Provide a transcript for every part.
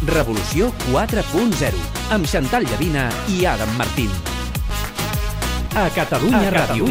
Revolució 4.0, amb Xantal Llavina i Adam Martín. A Catalunya Ràdio.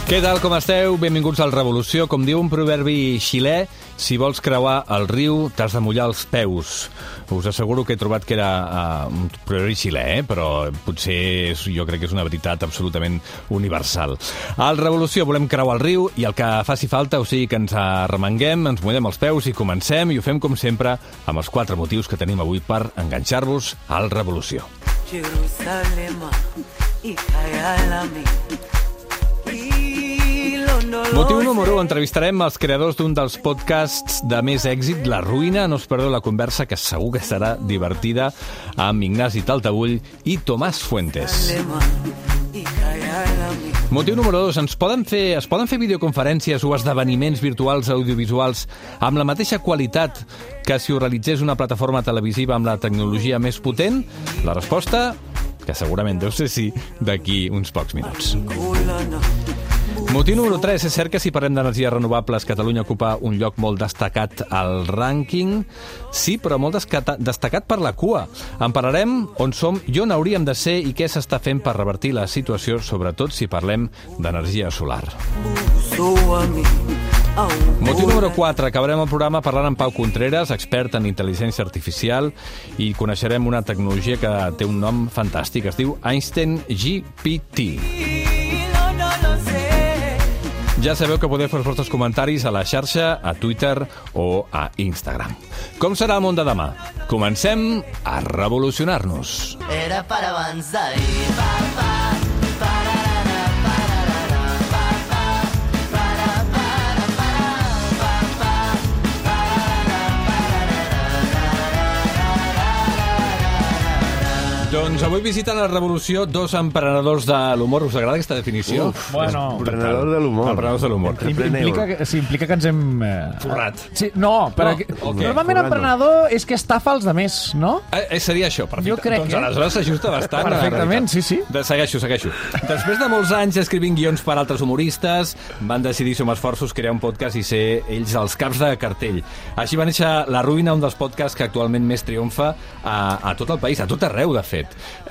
Què tal, com esteu? Benvinguts al Revolució. Com diu un proverbi xilè, si vols creuar el riu, t'has de mullar els peus. Us asseguro que he trobat que era un proverbi xilè, però potser jo crec que és una veritat absolutament universal. Al Revolució volem creuar el riu i el que faci falta, o sigui que ens arremanguem, ens mullem els peus i comencem, i ho fem com sempre amb els 4 motius que tenim avui per enganxar-vos al Revolució. Motiu número 1. Entrevistarem els creadors d'un dels podcasts de més èxit, La Ruïna. No us perdeu la conversa, que segur que serà divertida, amb Ignasi Taltabull i Tomàs Fuentes. Motiu número 2. Es poden fer videoconferències o esdeveniments virtuals audiovisuals amb la mateixa qualitat que si ho realitzés una plataforma televisiva amb la tecnologia més potent? La resposta, que segurament deu ser sí, d'aquí uns pocs minuts. Motiu número 3. És cert que si parlem d'energies renovables, Catalunya ocupa un lloc molt destacat al rànquing. Sí, però molt destacat per la cua. En parlarem on som i on hauríem de ser i què s'està fent per revertir la situació, sobretot si parlem d'energia solar. Motiu número 4. Acabarem el programa parlant amb Pau Contreras, expert en intel·ligència artificial, i coneixerem una tecnologia que té un nom fantàstic. Es diu Einstein GPT. Ja sabeu que podeu fer els vostres comentaris a la xarxa, a Twitter o a Instagram. Com serà el món de demà? Comencem a revolucionar-nos. Era per avançar i pa. Doncs avui visiten la Revolució 2 emprenedors de l'humor. Us agrada aquesta definició? Bueno, emprenedor de l'humor. Emprenedors de l'humor. Implica que ens hem... Forrat. Sí, no, perquè normalment emprenedor és que estafa els demés, no? Seria això, perfecte. Jo crec doncs aleshores s'ajusta bastant. Perfectament, sí. Segueixo. Després de molts anys escrivint guions per altres humoristes, van decidir som esforços crear un podcast i ser ells els caps de cartell. Així va néixer La Ruïna, un dels podcasts que actualment més triomfa a tot el país, a tot arreu, de fet.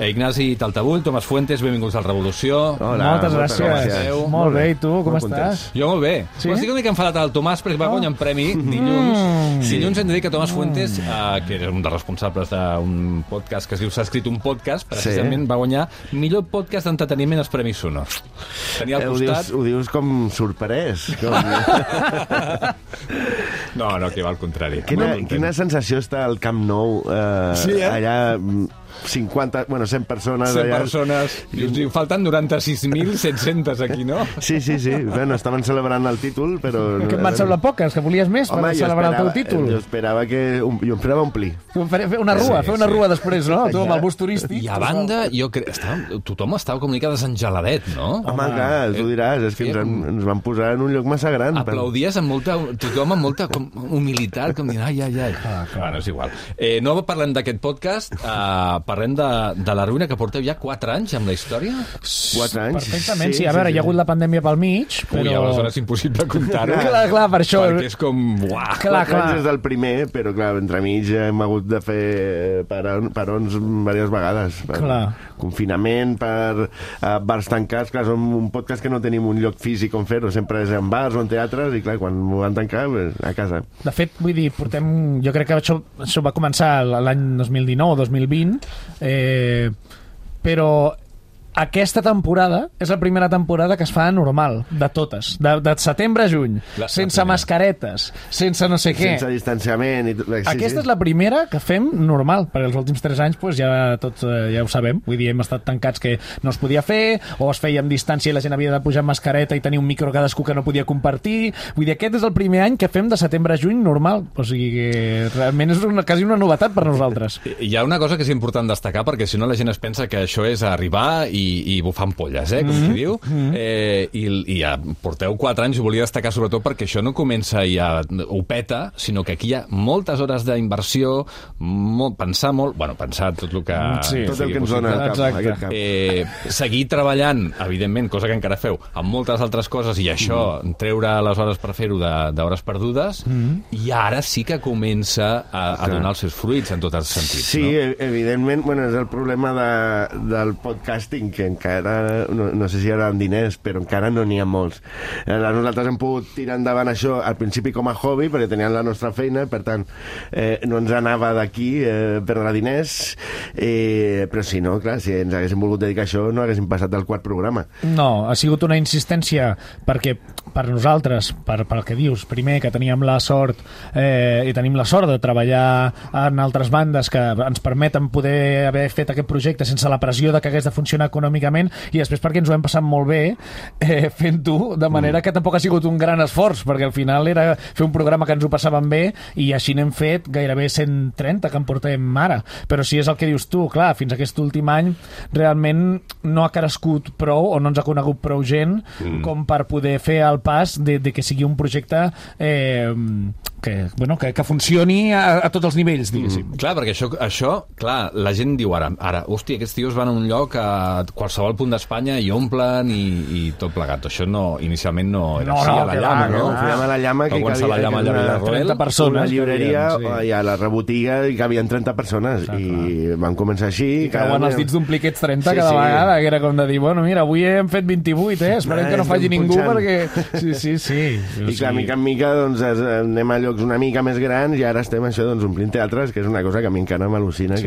Ignasi Taltabull, Tomàs Fuentes, benvinguts al Revolució. Hola, moltes gràcies. Molt bé, i tu, com estàs? Jo molt bé. Sí? Estic una mica enfadat al Tomàs perquè va guanyar un premi dilluns. Dilluns hem de dir que Tomàs Fuentes, que era un dels responsables d'un podcast que es diu S'ha escrit un podcast, precisament va guanyar millor podcast d'entreteniment als Premis Sonors. Tenia al costat... Ho dius com sorprès. No, que va al contrari. Quina sensació està al Camp Nou, allà... 100 persones 100 persones. Falten 96.700 aquí, no? Sí. Bueno, estaven celebrant el títol, però... Que em van semblar poques, que volies més per celebrar el teu títol. Jo esperava omplir. Fer una rua després, no? Tu amb el bus turístic. I a banda, jo crec... Tothom estava com una mica desengeladet, no? Home, clar, tu diràs, és que ens van posar en un lloc massa gran. Aplaudies tothom amb molta humilitat, com dient, ai. Bueno, és igual. No parlem d'aquest podcast, parlem de La Ruïna, que porteu ja 4 anys amb la història? 4 anys? Perfectament, sí. A veure, hi ha hagut la pandèmia pel mig, però... Ui, aleshores és impossible comptar-ho. Clar, per això... Perquè és com... Uah! 4 anys és del primer, però clar, entremig hem hagut de fer parons diverses vegades. Clar. Confinament, per bars tancats. Clar, som un podcast que no tenim un lloc físic on fer-ho. Sempre és en bars o en teatres, i clar, quan ho van tancar, a casa. De fet, vull dir, jo crec que això va començar l'any 2019 o 2020, però aquesta temporada és la primera temporada que es fa normal, de totes, de setembre a juny, sense mascaretes, sense no sé què, sense distanciament aquesta és la primera que fem normal, perquè els últims 3 anys pues, ja tots ja ho sabem, vull dir, hem estat tancats que no es podia fer, o es feia amb distància i la gent havia de pujar amb mascareta i tenir un micro cadascú que no podia compartir, vull dir, aquest és el primer any que fem de setembre a juny normal, o sigui que realment és quasi una novetat per nosaltres. Hi ha una cosa que és important destacar, perquè si no la gent es pensa que això és arribar i i bufant polles, com s'hi diu. I ja porteu 4 anys, ho volia destacar sobretot perquè això no comença i ja ho peta, sinó que aquí hi ha moltes hores d'inversió, pensar molt, pensar tot el que... Sí, tot el que ens dona aquest cap. Seguir treballant, evidentment, cosa que encara feu, amb moltes altres coses, i això, treure les hores per fer-ho d'hores perdudes, i ara sí que comença a donar els seus fruits en tots els sentits. Sí, no? Evidentment, és el problema del podcasting, que encara, no sé si hi haurà diners, però encara no n'hi ha molts. Nosaltres hem pogut tirar endavant això al principi com a hobby, perquè teníem la nostra feina, per tant, no ens anava d'aquí perdre diners, però si no, clar, si ens haguéssim volgut dedicar a això, no haguéssim passat del quart programa. No, ha sigut una insistència perquè per nosaltres, pel que dius, primer que teníem la sort i tenim la sort de treballar en altres bandes que ens permeten poder haver fet aquest projecte sense la pressió de que hagués de funcionar econòmicament, i després perquè ens ho hem passat molt bé fent-ho, de manera que tampoc ha sigut un gran esforç, perquè al final era fer un programa que ens ho passàvem bé, i així n'hem fet gairebé 130 que en portem ara. Però si és el que dius tu, clar, fins aquest últim any realment no ha crescut prou o no ens ha conegut prou gent com per poder fer el pas de que sigui un projecte que funcioni a tots els nivells, diguéssim. Clar, perquè això, clar, la gent diu ara, hòstia, aquests tios van a un lloc a qualsevol punt d'Espanya i omplen i tot plegat. Això inicialment no era així, a la Llama, no? Fèiem a la Llama que cabia 30 persones. Una llibreria i a la rebotiga hi cabien 30 persones i vam començar així. I cauen els dits d'ompliquets 30 cada vegada, que era com de dir, bueno, mira, avui hem fet 28, esperem que no faci ningú perquè... Sí. I clar, mica en mica doncs anem a llocs una mica més grans i ara estem això omplint teatres, que és una cosa que a mi encara m'al·lucina.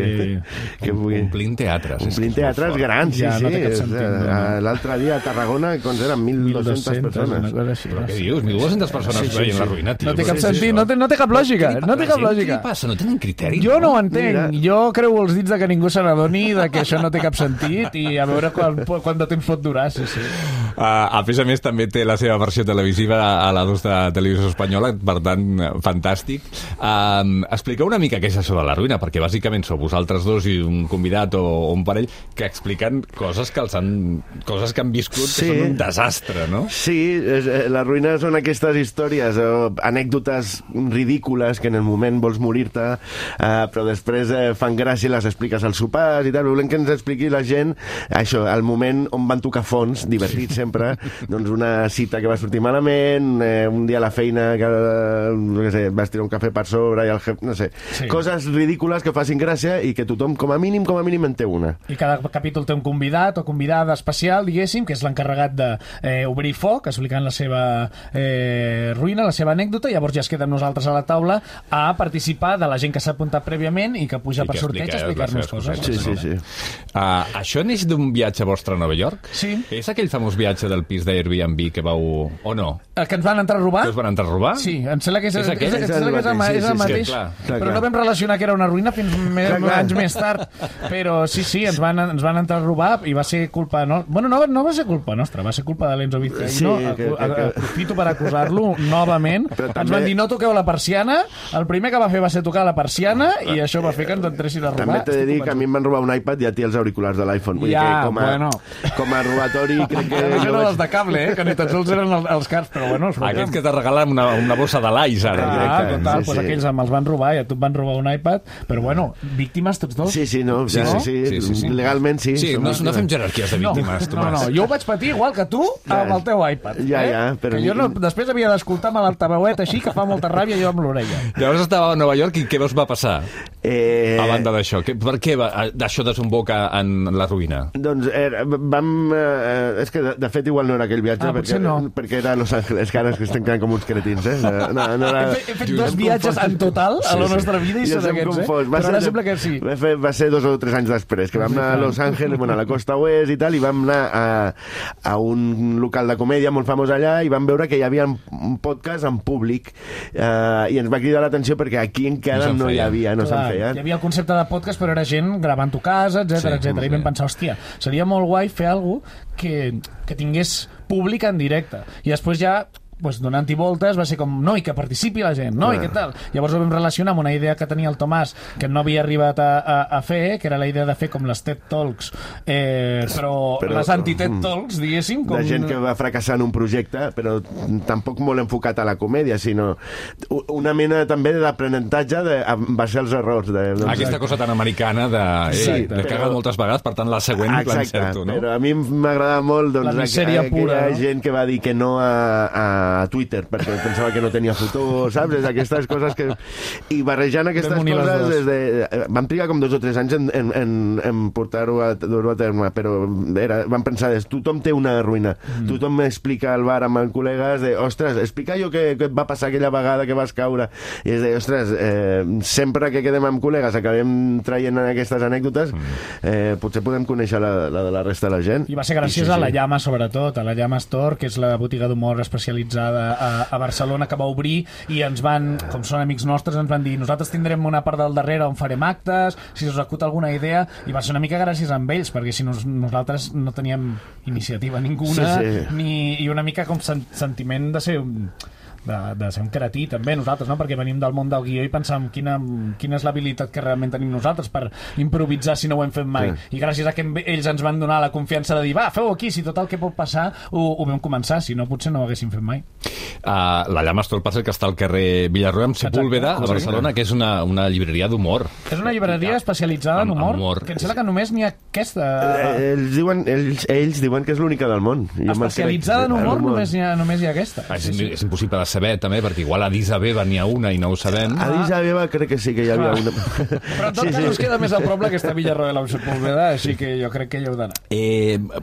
Omplint teatres. Omplint teatres grans, ja, no té cap sentit. L'altre dia a Tarragona, quan eren 1.200 persones. Però què dius? 1.200 persones veient la ruïna, tio. No té cap sentit, no té cap lògica. Què passa? No tenen criteri? Jo no ho entenc. Jo creu els dits de que ningú se n'adoni de que això no té cap sentit i a veure quant de temps pot durar, sí. A més, també té la seva versió televisiva a la 2 de Televisió Espanyola, per tant, fantàstic. Expliqueu una mica què és això de la ruïna, perquè bàsicament sou vosaltres dos i un convidat o un parell que expliquen coses que han viscut que són un desastre, no? Sí, la ruïna són aquestes històries, anècdotes ridícules que en el moment vols morir-te, però després fan gràcia i les expliques als sopars i tal. Volem que ens expliqui la gent això, el moment on van tocar fons, divertit sempre, doncs una cita que va sortir malament, un dia a la feina que no sé, vas tirar un cafè per sobre i el jefe, no sé, coses ridícules que facin gràcia i que tothom com a mínim en té una. I cada capítol té un convidat o convidada especial, diguéssim, que és l'encarregat d'obrir foc, explicant la seva ruïna, la seva anècdota, i llavors ja es queda amb nosaltres a la taula a participar de la gent que s'ha apuntat prèviament i que puja per sorteig a explicar-nos coses. Sí. Això neix d'un viatge vostre a Nova York? Sí. És aquell famós viatge del pis d'Airbnb que vau... o no? El que ens van entrar a robar? Que us van entrar a robar? Sí, em sembla que és el mateix. Clar. Però no vam relacionar que era una ruïna fins anys més tard. Però sí, ens van entrar a robar i va ser culpa... Bueno, no va ser culpa nostra, va ser culpa de l'Enzo Vizcaíno. Aprofito per acusar-lo novament. Ens van dir, no toqueu la persiana. El primer que va fer va ser tocar la persiana i això va fer que ens entressin a robar. També t'he de dir que a mi em van robar un iPad i a ti els auriculars de l'iPhone. Vull dir que com a robatori crec que... No eren els de cable, que ni tan sols eren els cars, però bueno... Aquests que te regalen una bossa de l'Ais, ara. Total, doncs aquells els van robar i a tu et van robar un iPad, però bueno, víctimes tots dos. Sí, legalment sí. Sí, no fem jerarquies de víctimes, Tomàs. No, jo ho vaig patir igual que tu amb el teu iPad. Però... Que jo després havia d'escoltar amb l'altaveuet així, que fa molta ràbia jo amb l'orella. Llavors estava a Nova York i què us va passar? A banda d'això, per què això desemboca en la ruïna? Doncs vam... És que de fet igual no era aquell viatge, perquè era a Los Angeles, que ara es estem quedant com uns cretins, He fet 2 viatges en total a la nostra vida i són aquests, però ara sembla que sí. Va ser 2 o 3 anys després, que vam anar a Los Angeles, a la costa oest i tal, i vam anar a un local de comèdia molt famós allà i vam veure que hi havia un podcast en públic i ens va cridar l'atenció perquè aquí encara no hi havia, no se'n feien. Hi havia el concepte de podcast, però era gent gravant-ho a casa, etc. I vam pensar, hòstia, seria molt guai fer alguna cosa que tingués públic en directe. I després ja pues, donant-hi voltes, va ser com, no, i que participi la gent, no, i què tal? Llavors ho vam relacionar amb una idea que tenia el Tomàs que no havia arribat a fer, que era la idea de fer com les TED Talks, però les anti-TED Talks, diguéssim. Com... De gent que va fracassar en un projecte, però tampoc molt enfocat a la comèdia, sinó una mena també d'aprenentatge en base als errors. Aquesta cosa tan americana de cagat moltes vegades, per tant la següent l'encerto, no? Però a mi m'agradava molt la misèria pura, aquella gent que va dir que no a Twitter perquè pensava que no tenia futur, saps? Aquestes coses que... I barrejant aquestes coses vam trigar com 2 o 3 anys en portar-ho a terme, però vam pensar, tothom té una ruïna, tothom m'explica al bar amb els col·legues ostres, explica jo què et va passar aquella vegada que vas caure, i és ostres, sempre que quedem amb col·legues acabem traient aquestes anècdotes, potser podem conèixer la de la resta de la gent. I va ser gràcies a la Llama, sobretot, a la Llama Store, que és la botiga d'humor especialitzada a Barcelona, que va obrir, i ens van, com són amics nostres, ens van dir, nosaltres tindrem una part del darrere on farem actes, si us acut alguna idea, i va ser una mica gràcies a ells, perquè si nosaltres no teníem iniciativa ninguna, i una mica com sentiment de ser un cretí també nosaltres, no? Perquè venim del món del guió i pensàvem quina és l'habilitat que realment tenim nosaltres per improvisar si no ho hem fet mai, i gràcies a que ells ens van donar la confiança de dir, va, feu-ho aquí, si tot el que pot passar ho vam començar, si no potser no ho haguéssim fet mai. La Llama Store passa que està al carrer Villarroa amb Sepúlveda, a Barcelona, que és una llibreria d'humor. És una llibreria especialitzada en humor, que em sembla que només n'hi ha aquesta. Ells diuen que és l'única del món. Especialitzada en humor només hi ha aquesta. És impossible de saber també, perquè igual a Addis Abeba n'hi ha una i no ho sabem. A Addis Abeba crec que sí que hi havia una. Però en tot cas us queda més al prop que està a Villarroel amb Sepúlveda, així que jo crec que hi heu d'anar.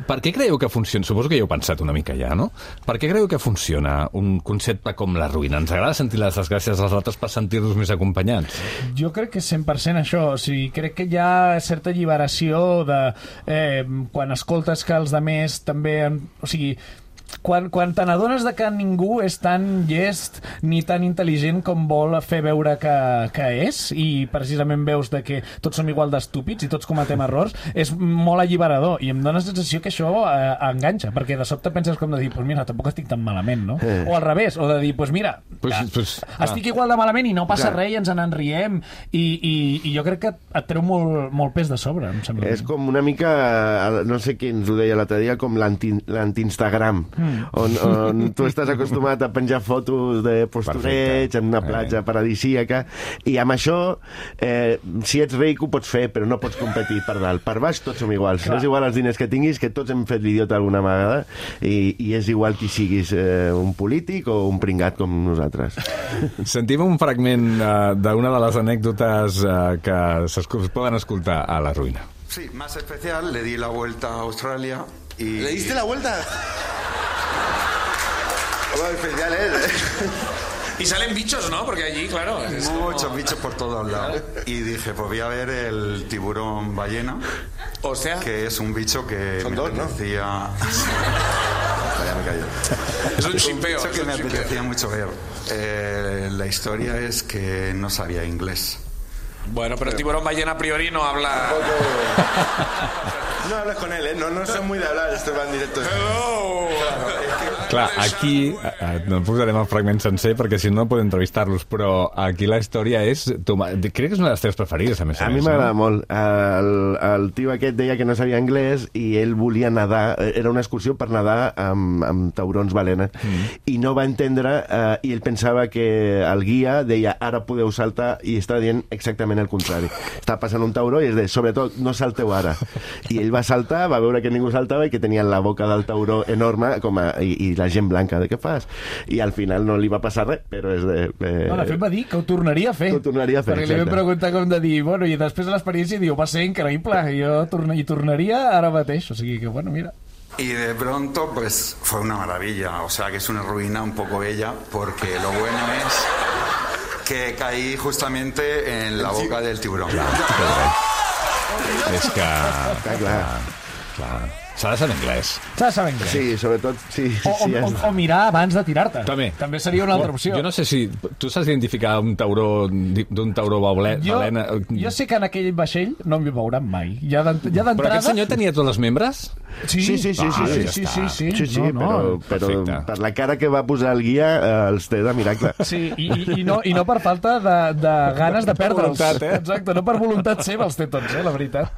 Per què creieu que funciona? Suposo que ja heu pensat una mica ja, no? Per què creieu que funciona un concepte com La Ruïna? Ens agrada sentir les desgràcies als altres per sentir-nos més acompanyats? Jo crec que és 100% això. O sigui, crec que hi ha certa alliberació de quan escoltes que els altres també... O sigui, quan te n'adones de que ningú és tan llest ni tan intel·ligent com vol fer veure que és, i precisament veus de que tots som igual d'estúpids i tots cometem errors, és molt alliberador, i em dóna la sensació que això enganxa, perquè de sobte penses com de dir, pues mira, tampoc estic tan malament, no? O al revés, o de dir, pues mira, estic igual de malament i no passa res i ens en riem, i jo crec que et treu molt pes de sobre, em sembla. És com una mica, no sé qui ens ho deia l'altre dia, com l'anti-Instagram, on tu estàs acostumat a penjar fotos de postureig en una platja paradisíaca, i amb això si ets ric ho pots fer, però no pots competir per dalt. Per baix tots som iguals. És igual els diners que tinguis, que tots hem fet l'idiota alguna vegada, i és igual qui siguis, un polític o un pringat com nosaltres. Sentim un fragment d'una de les anècdotes que es poden escoltar a La Ruïna. Sí, más especial, le di la vuelta a Australia y... ¿Le diste la vuelta? Especial Y salen bichos, ¿no? Porque allí, claro... Muchos bichos por todos lados. Y dije, pues voy a ver el tiburón ballena. O sea... Que es un bicho que son me dos, apetecía... Ya me callo. Es un chimpeo. Un bicho que me apetecía mucho ver. La historia es que no sabía inglés. Bueno, pero el tiburón ballena a priori no habla... No hablas con él, ¿eh? No son muy de hablar, estos van directos. Hello! Clar, aquí no posarem el fragment sencer perquè si no podem entrevistar-los, però aquí la història és... Crec que és una de les teves preferides, a més a més. A mi m'agrada molt. El tio aquest deia que no sabia anglès i ell volia nedar, era una excursió per nedar amb taurons balena, i no va entendre, i ell pensava que el guia deia ara podeu saltar, i estava dient exactament el contrari. Estava passant un tauró i es deia, sobretot, no salteu ara. I ell va saltar, va veure que ningú saltava i que tenia la boca del tauró enorme i la gent blanca, de què fas? I al final no li va passar res, però és de... No, de fet va dir que ho tornaria a fer. Que ho tornaria a fer, perquè li vam preguntar com de dir, bueno, i després de l'experiència diu, va ser increïble, jo tornaria ara mateix, o sigui que, bueno, mira. Y de pronto, pues, fue una maravilla, o sea, que es una ruina un poco bella, porque lo bueno es que caí justamente en la boca del tiburón. És que... Clar. S'ha de saber anglès. S'ha de saber anglès. Sí, sobretot... Sí, O mirar abans de tirar-te. També seria una altra opció. Jo no sé si tu saps identificar un tauró d'un tauró balena. Jo sé que en aquell vaixell no m'hi veuran mai. Ja d'entrada... Però aquest senyor tenia tots els membres? Sí. Però per la cara que va posar el guia els té de miracle. Sí, i no per falta de ganes de perdre'ls. Voluntat, Exacte, no per voluntat seva els té tots, la veritat.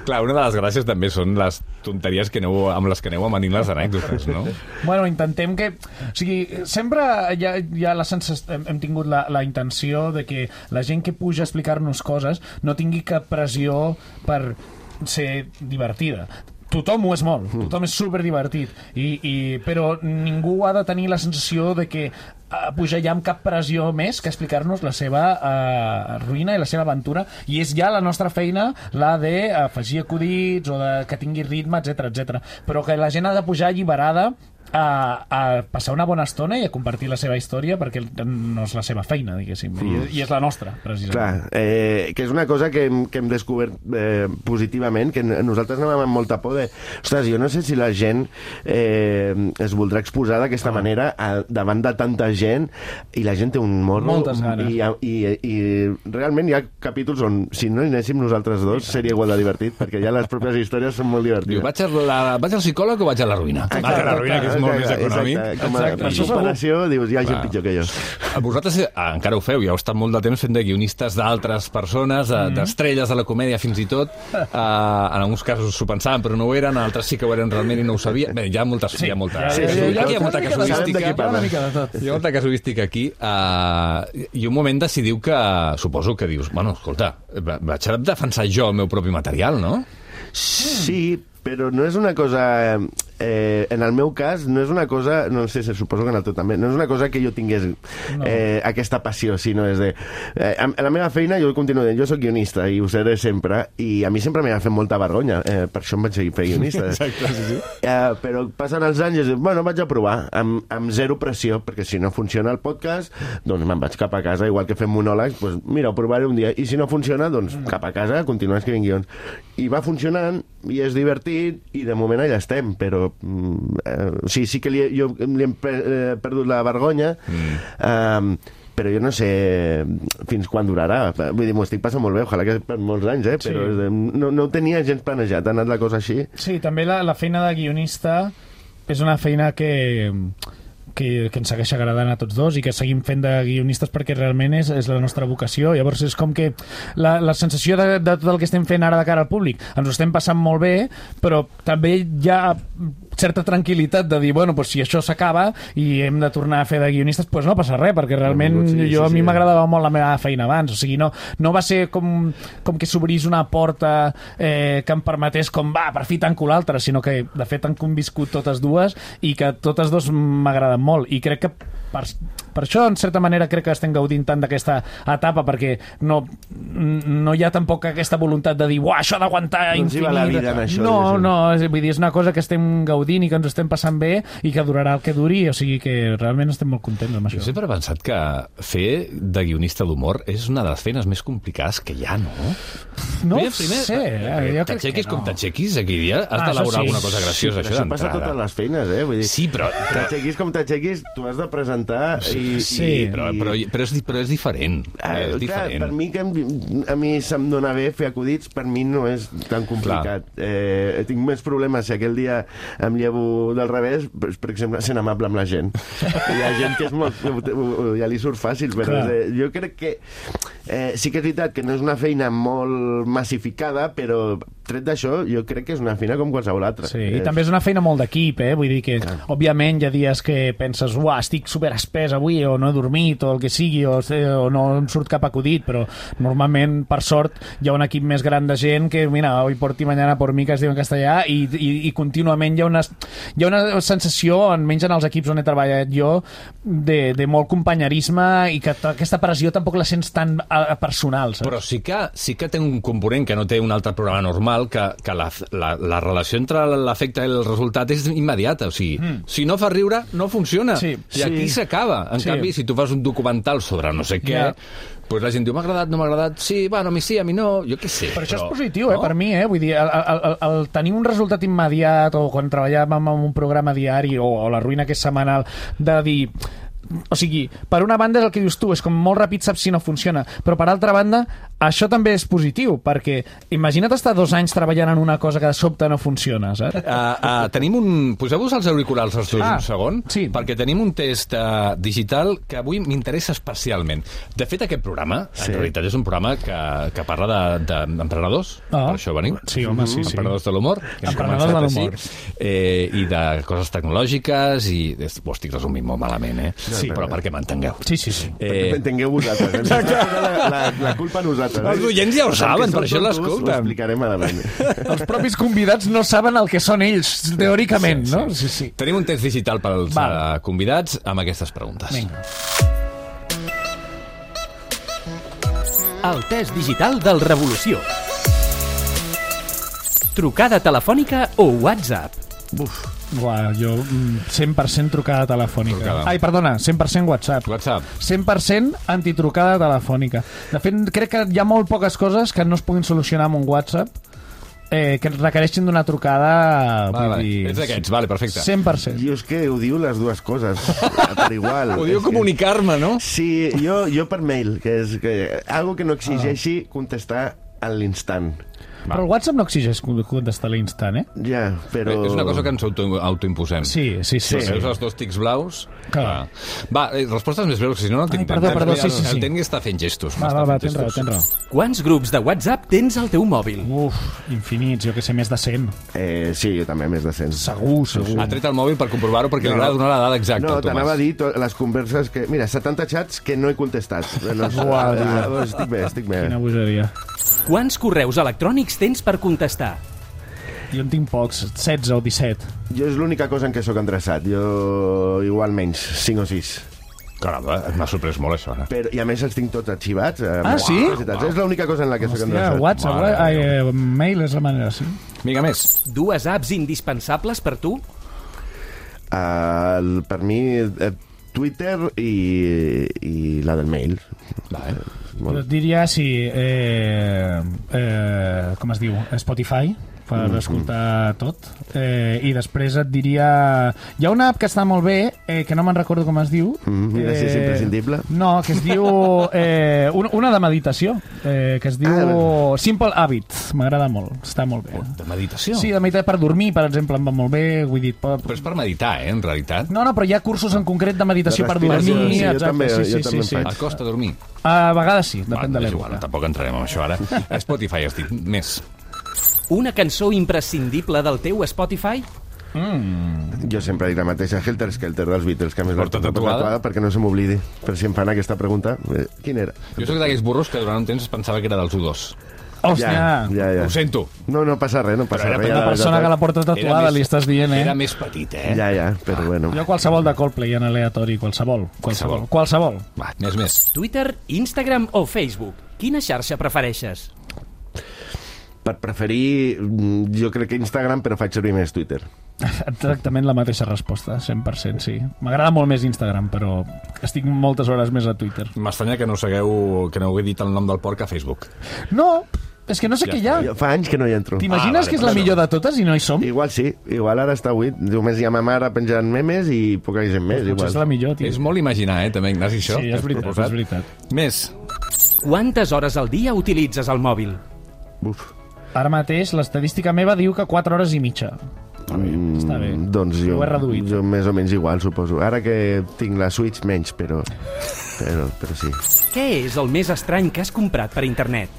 Clar, una de les gràcies també són les tonteries amb les que aneu amanint les anècdotes, no? Bueno, intentem que... O sigui, sempre hi ha la sensació... Hem tingut la intenció de que la gent que puja a explicar-nos coses no tingui cap pressió per ser divertida. Tothom ho és molt, tothom és superdivertit, però ningú ha de tenir la sensació de que pujar ja amb cap pressió més que explicar-nos la seva ruïna i la seva aventura, i és ja la nostra feina la d'afegir acudits o que tingui ritme, etc. Però que la gent ha de pujar alliberada a passar una bona estona i a compartir la seva història, perquè no és la seva feina, diguéssim, i és la nostra, precisament. Clar, que és una cosa que hem descobert positivament, que nosaltres anàvem amb molta por de... Ostres, jo no sé si la gent es voldrà exposar d'aquesta manera davant de tanta gent, i la gent té un morro... Moltes ganes. I realment hi ha capítols on, si no hi anéssim nosaltres dos, seria igual de divertit, perquè ja les pròpies històries són molt divertides. Vaig al psicòleg o vaig a la ruïna? Vaig a la ruïna, que és molt més econòmic. Exacte. Per comparació, dius, hi ha gent pitjor que jo. Vosaltres encara ho feu, ja heu estat molt de temps fent de guionistes d'altres persones, d'estrelles de la comèdia fins i tot. En alguns casos s'ho pensaven però no ho eren, en altres sí que ho eren realment i no ho sabien. Bé, hi ha molta casuística. Hi ha molta casuística aquí. I un moment decidiu que, suposo que dius, bueno, escolta, vaig a defensar jo el meu propi material, no? Sí, però no és una cosa... en el meu cas, no és una cosa... No sé, suposo que en el teu també. No és una cosa que jo tingués aquesta passió, sinó és de... En la meva feina jo continuo dient, jo soc guionista i ho seré sempre, i a mi sempre m'ha fet molta vergonya. Per això em vaig seguir fent guionista. Exacte, sí. Però passen els anys i dic, bueno, vaig a provar, amb zero pressió, perquè si no funciona el podcast, doncs me'n vaig cap a casa, igual que fem monòlegs, doncs mira, ho provaré un dia, i si no funciona, doncs cap a casa, continuar escrivint guions. I va funcionant, i és divertit, i de moment allà estem, però sí que li hem perdut la vergonya, però jo no sé fins quan durarà. Vull dir, m'ho estic passant molt bé, ojalà que per molts anys, però no ho tenia gens planejat, ha anat la cosa així. Sí, també la feina de guionista és una feina que ens segueix agradant a tots dos i que seguim fent de guionistes perquè realment és la nostra vocació. Llavors és com que la sensació de tot el que estem fent ara de cara al públic ens ho estem passant molt bé, però també hi ha certa tranquil·litat de dir, bueno, pues si això s'acaba i hem de tornar a fer de guionistes, pues no passa res, perquè realment a mi m'agradava molt la meva feina abans, o sigui, no va ser com que s'obrís una porta que em permetés per fi tanco l'altra, sinó que de fet han conviscut totes dues i que totes dos m'agraden molt, i crec que per això, en certa manera, crec que estem gaudint tant d'aquesta etapa, perquè no hi ha tampoc aquesta voluntat de dir, això ha d'aguantar infinit. Vull dir, és una cosa que estem gaudint i que ens estem passant bé i que durarà el que duri, o sigui que realment estem molt contents amb això. Jo sempre he pensat que fer de guionista d'humor és una de les feines més complicades que hi ha, no? No ho sé. T'aixequis com t'aixequis, aquell dia has d'elaborar alguna cosa graciosa, això d'entrada. Això passa a totes les feines, vull dir, sí, però... T'aixequis com t'aixequis, tu has de presentar però és diferent. Per mi, que a mi se'm dona bé fer acudits, per mi no és tan complicat. Tinc més problemes si aquell dia em llevo del revés, per exemple, sent amable amb la gent. Hi ha gent que és molt... ja li surt fàcil, però jo crec que sí que és veritat que no és una feina molt massificada, però tret d'això, jo crec que és una feina com qualsevol altra. Sí, i també és una feina molt d'equip, vull dir que, òbviament, hi ha dies que penses, estic superespès avui, o no he dormit, o el que sigui, o no em surt cap acudit, però normalment, per sort, hi ha un equip més gran de gent que, mira, hoy por ti, mañana por mi, que es diu en castellà, i contínuament hi ha una sensació, almenys en els equips on he treballat jo, de molt companyerisme, i que aquesta pressió tampoc la sents tan personal, saps? Però sí que té un component que no té un altre programa normal, digital que la relació entre l'efecte i el resultat és immediata. O sigui, si no fa riure, no funciona. Sí. I aquí s'acaba. En canvi, si tu fas un documental sobre no sé què, pues la gent diu, m'ha agradat, no m'ha agradat, sí, bueno, a mi sí, a mi no, jo què sé. Però això és positiu, per mi, vull dir, el tenir un resultat immediat, o quan treballàvem en un programa diari, o La ruïna, que és setmanal, de dir... O sigui, per una banda és el que dius tu, és com molt ràpid, saps si no funciona, però per altra banda això també és positiu, perquè imagina't estar 2 anys treballant en una cosa que de sobte no funciona, saps? Tenim poseu-vos els auriculars els dos un segon, perquè tenim un test digital que avui m'interessa especialment. De fet, aquest programa, en realitat, és un programa que parla d'emprenedors, per això venim. Sí, home, sí. Emprenedors de l'humor. Emprenedors de l'humor. I de coses tecnològiques, i ho estic resumint molt malament, Sí, però perquè m'entengueu. Sí. Perquè m'entengueu vosaltres. La culpa a nosaltres. Els oients ja ho saben, per això l'escolten. Ho explicarem a davant. Els propis convidats no saben el que són ells, teòricament, no? Sí. Tenim un test digital pels convidats amb aquestes preguntes. Vinga. El test digital del Revolució. Trucada telefònica o WhatsApp? Uah, jo 100% trucada telefònica. Ai, perdona, 100% WhatsApp. 100% antitrucada telefònica. De fet, crec que hi ha molt poques coses que no es puguin solucionar amb un WhatsApp que requereixin d'una trucada... Ets d'aquests, perfecte. 100%. Jo és que ho diu les dues coses, per igual. Ho diu comunicar-me, no? Sí, jo per mail, que és algo que no exigeixi contestar a l'instant. Però el WhatsApp no exigeix contestar a l'instant, Ja, però... És una cosa que ens autoimposem. Sí. Veus els 2 tics blaus? Va, respostes més breus, que si no el tinc temps. Perdó, sí. El Tengui està fent gestos. Va, tens raó. Quants grups de WhatsApp tens al teu mòbil? Infinits, jo que sé, més de 100. Sí, jo també, més de 100. Segur. Ha tret el mòbil per comprovar-ho perquè li agrada donar la dada exacta. No, t'anava a dir les converses que... Mira, 70 chats que no he contestat. Estic bé. Quina bogeria. Quants correus electrònics tens per contestar? Jo en tinc pocs, 16 o 17. Jo és l'única cosa en què sóc endreçat. Jo igual menys, 5 o 6. Caramba, m'ha sorprès molt això, ara. I a més els tinc tots arxivats. Sí? És l'única cosa en la que sóc endreçat. WhatsApp, mail és la manera, sí. Vinga, més. 2 apps indispensables per tu? Per mi, Twitter i la del mail. Jo diria, com es diu? Spotify, per escoltar tot. I després et diria... Hi ha una app que està molt bé, que no me'n recordo com es diu. És imprescindible? No, que es diu... una de meditació, que es diu Simple Habits. M'agrada molt, està molt bé. De meditació? Sí, de meditació per dormir, per exemple, em va molt bé. Vull dir, però és per meditar, en realitat? No, però hi ha cursos en concret de meditació per dormir. Sí, jo també faig. Et costa dormir? A vegades sí, depèn de l'època. Tampoc entrarem en això ara. Spotify has dit, més. Una cançó imprescindible del teu Spotify? Jo sempre dic la mateixa, Helter Skelter dels Beatles, que a més la Porta porto tatuada perquè no se m'oblidi. Per si em fan aquesta pregunta, quin era? Jo soc d'aquells burros que durant un temps pensava que era dels U2. Hòstia! Ja. Ho sento. No passa res, no passa res. Una persona que la porta tatuada li estàs dient, Era més petit, Ja, però bueno. Jo qualsevol de Coldplay en aleatori, qualsevol. Va, més. Twitter, Instagram o Facebook? Quina xarxa prefereixes? Per preferir, jo crec que Instagram, però faig servir més Twitter. Exactament la mateixa resposta, 100%, sí. M'agrada molt més Instagram, però estic moltes hores més a Twitter. M'estranya que no heu dit el nom del porc a Facebook. No, és que no sé què hi ha. Fa anys que no hi entro. T'imagines que és la millor de totes i no hi som? Igual sí, igual ara està buit. Només hi ha ma mare penjant memes i poca gent més. Potser és la millor, tio. És molt imaginar, també, Ignasi, això. Sí, és veritat. Més. Quantes hores al dia utilitzes el mòbil? Ara mateix l'estadística meva diu que 4 hores i mitja. Està bé. Doncs ho he reduït. Jo més o menys igual, suposo. Ara que tinc la Switch menys, però sí. Què és el més estrany que has comprat per internet?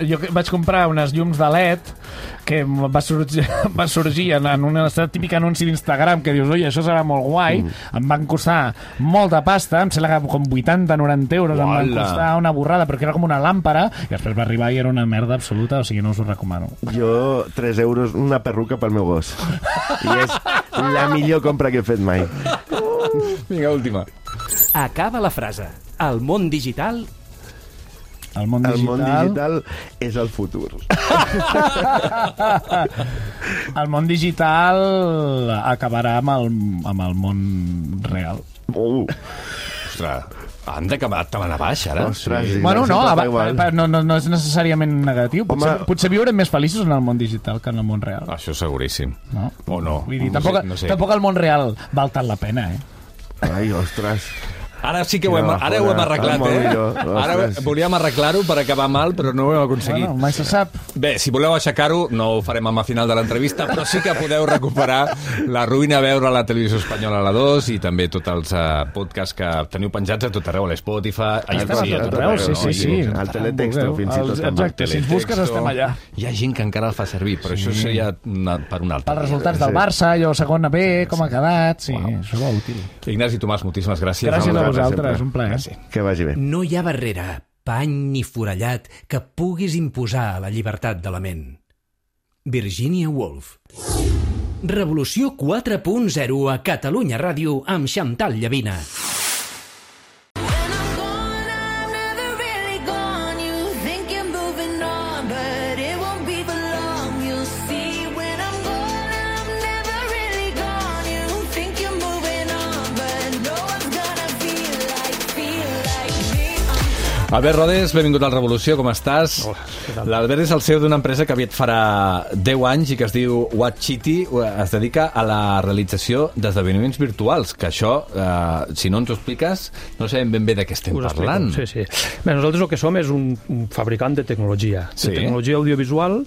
Jo vaig comprar unes llums de LED que va sorgir en un típic anunci d'Instagram que dius, oi, això serà molt guai. Em van costar molta pasta, em sembla que com 80-90 euros em van costar una borrada, perquè era com una làmpara, i després va arribar i era una merda absoluta, o sigui, no us ho recomano. Jo, 3 euros, una perruca pel meu gos. I és la millor compra que he fet mai. Vinga, última. Acaba la frase. El món digital... El món El món digital... digital és el futur. El món digital acabarà amb el món real. Ostres, han d'acabar tan a baix, ara? Ostres, sí. Bueno, no, sempre fa igual. no és necessàriament negatiu. Potser viurem més feliços en el món digital que en el món real. Això seguríssim. No? O no. Vull dir, No tampoc, sé. tampoc el món real val tant la pena, Ai, ostres. Ara sí que ho hem arreglat, Ara volíem arreglar-ho per acabar mal, però no ho hem aconseguit. Bueno, mai se sap. Bé, si voleu aixecar-ho, no ho farem al final de l'entrevista, però sí que podeu recuperar La Ruïna a veure a la televisió espanyola a la 2 i també tots els podcasts que teniu penjats a tot arreu, a l'Spotify, a tot arreu, sí. Al teletexto, fins i tot. Exacte, si ens busques estem allà. Hi ha gent que encara el fa servir, però això seria per un altre. Els resultats del Barça, allò segona B, com ha quedat, sí, això va útil. Ignasi Tomàs, moltíssimes gràcies. Gràcies a vosaltres, un plaer. Que vagi bé. No hi ha barrera, pany ni forellat que puguis imposar la llibertat de la ment. Virginia Woolf. Revolució 4.0 a Catalunya Ràdio amb Xantal Llavina. Albert Rodes, benvingut al Revolució, com estàs? Hola. L'Albert és el CEO d'una empresa que aviat farà 10 anys i que es diu Watchity, es dedica a la realització d'esdeveniments virtuals, que això, si no ens ho expliques, no sabem ben bé de què estem parlant. Sí. Bé, nosaltres el que som és un fabricant de tecnologia, tecnologia audiovisual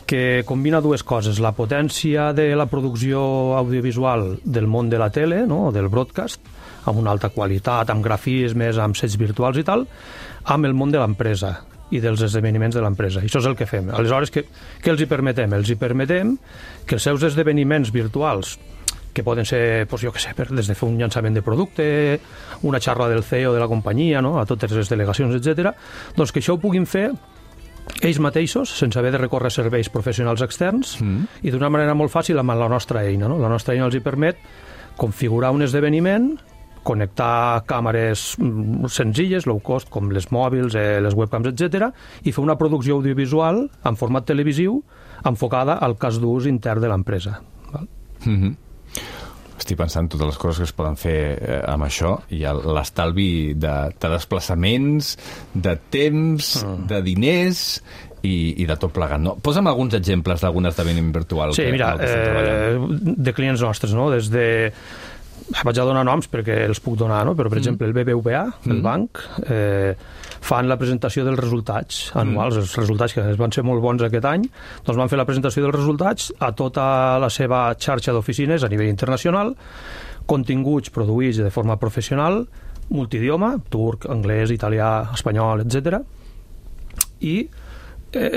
que combina dues coses, la potència de la producció audiovisual del món de la tele, no?, del broadcast, amb una alta qualitat, amb grafismes, amb sets virtuals i tal, amb el món de l'empresa i dels esdeveniments de l'empresa. I això és el que fem. Aleshores, què els hi permetem? Els hi permetem que els seus esdeveniments virtuals, que poden ser, doncs, jo què sé, des de fer un llançament de producte, una xarra del CEO de la companyia, no?, a totes les delegacions, etc., doncs que això ho puguin fer ells mateixos, sense haver de recórrer serveis professionals externs, i d'una manera molt fàcil amb la nostra eina. No? La nostra eina els hi permet configurar un esdeveniment, connectar càmeres senzilles, low cost, com les mòbils, les webcams, etc., i fer una producció audiovisual en format televisiu enfocada al cas d'ús intern de l'empresa. Estic pensant totes les coses que es poden fer amb això i l'estalvi de desplaçaments, de temps, de diners i de tot plegat. No? Posa'm alguns exemples d'algun esdeveniment virtual. Sí, mira, de clients nostres, no? Des de... Vaig a donar noms perquè els puc donar, no? Però, per exemple, el BBVA, el banc, fan la presentació dels resultats anuals, els resultats que van ser molt bons aquest any, doncs van fer la presentació dels resultats a tota la seva xarxa d'oficines a nivell internacional, continguts produïts de forma professional, multidioma, turc, anglès, italià, espanyol, etc. I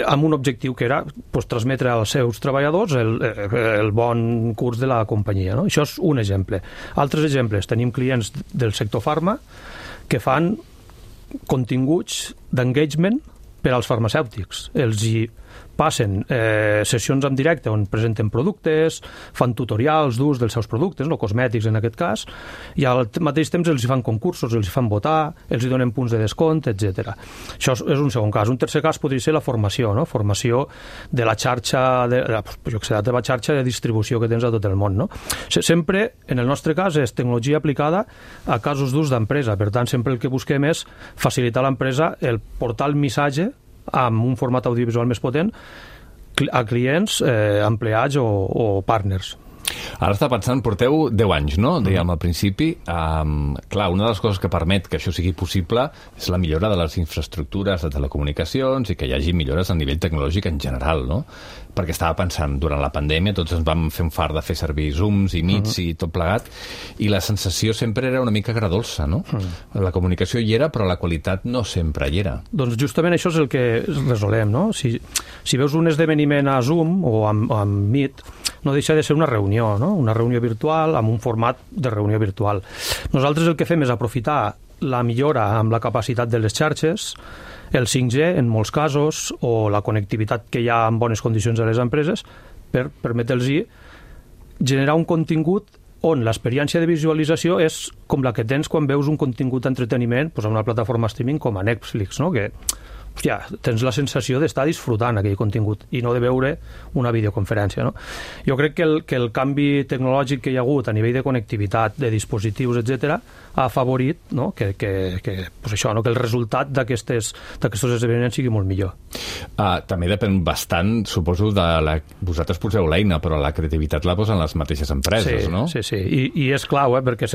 amb un objectiu que era transmetre als seus treballadors el bon curs de la companyia. No? Això és un exemple. Altres exemples, tenim clients del sector farma que fan continguts d'engagement per als farmacèutics. Els hi passen sessions en directe on presenten productes, fan tutorials d'ús dels seus productes, no cosmètics en aquest cas, i al mateix temps els hi fan concursos, els hi fan votar, els hi donen punts de descompte, etc. Això és un segon cas. Un tercer cas podria ser la formació, no? Formació de la xarxa, de la teva xarxa de distribució que tens a tot el món. No? Sempre, en el nostre cas, és tecnologia aplicada a casos d'ús d'empresa. Per tant, sempre el que busquem és facilitar a l'empresa el portar el missatge amb un format audiovisual més potent a clients, empleats o partners. Ara està pensant, porteu 10 anys, no? Dèiem al principi. Clar, una de les coses que permet que això sigui possible és la millora de les infraestructures de telecomunicacions i que hi hagi millores a nivell tecnològic en general, no? Perquè estava pensant, durant la pandèmia tots ens vam fer un fart de fer servir Zooms i Meets i tot plegat, i la sensació sempre era una mica agradolça, no? La comunicació hi era, però la qualitat no sempre hi era. Doncs justament això és el que resolem, no? Si veus un esdeveniment a Zoom o amb Meet, no deixa de ser una reunió, no? Una reunió virtual amb un format de reunió virtual. Nosaltres el que fem és aprofitar la millora amb la capacitat de les xarxes, el 5G en molts casos, o la connectivitat que hi ha en bones condicions a les empreses, per permetre-los generar un contingut on l'experiència de visualització és com la que tens quan veus un contingut d'entreteniment a una plataforma streaming com a Netflix, no? Que hòstia, tens la sensació d'estar disfrutant aquell contingut i no de veure una videoconferència, no? Jo crec que el canvi tecnològic que hi ha hagut a nivell de connectivitat, de dispositius, etc., ha afavorit, no? que això, no? Que el resultat d'aquests esdeveniments sigui molt millor. També depèn bastant, suposo, vosaltres poseu l'eina, però la creativitat la posen les mateixes empreses, no? Sí. I és clau, perquè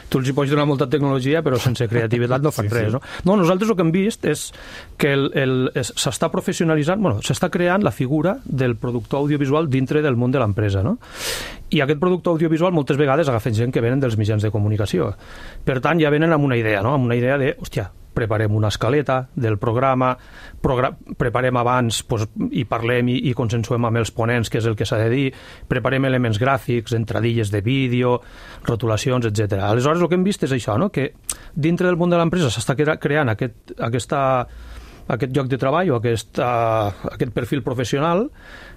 tu els hi pots donar molta tecnologia, però sense creativitat no fan res, no? No, nosaltres el que hem vist és que s'està professionalitzant, s'està creant la figura del productor audiovisual dintre del món de l'empresa, no? I aquest productor audiovisual moltes vegades agafen gent que venen dels mitjans de comunicació. Per tant, ja venen amb una idea, no? Amb una idea de, hòstia, preparem una escaleta del programa, preparem abans i parlem i consensuem amb els ponents què és el que s'ha de dir, preparem elements gràfics, entradilles de vídeo, rotulacions, etc. Aleshores, el que hem vist és això, no? Que dintre del món de l'empresa s'està creant aquest lloc de treball o aquest perfil professional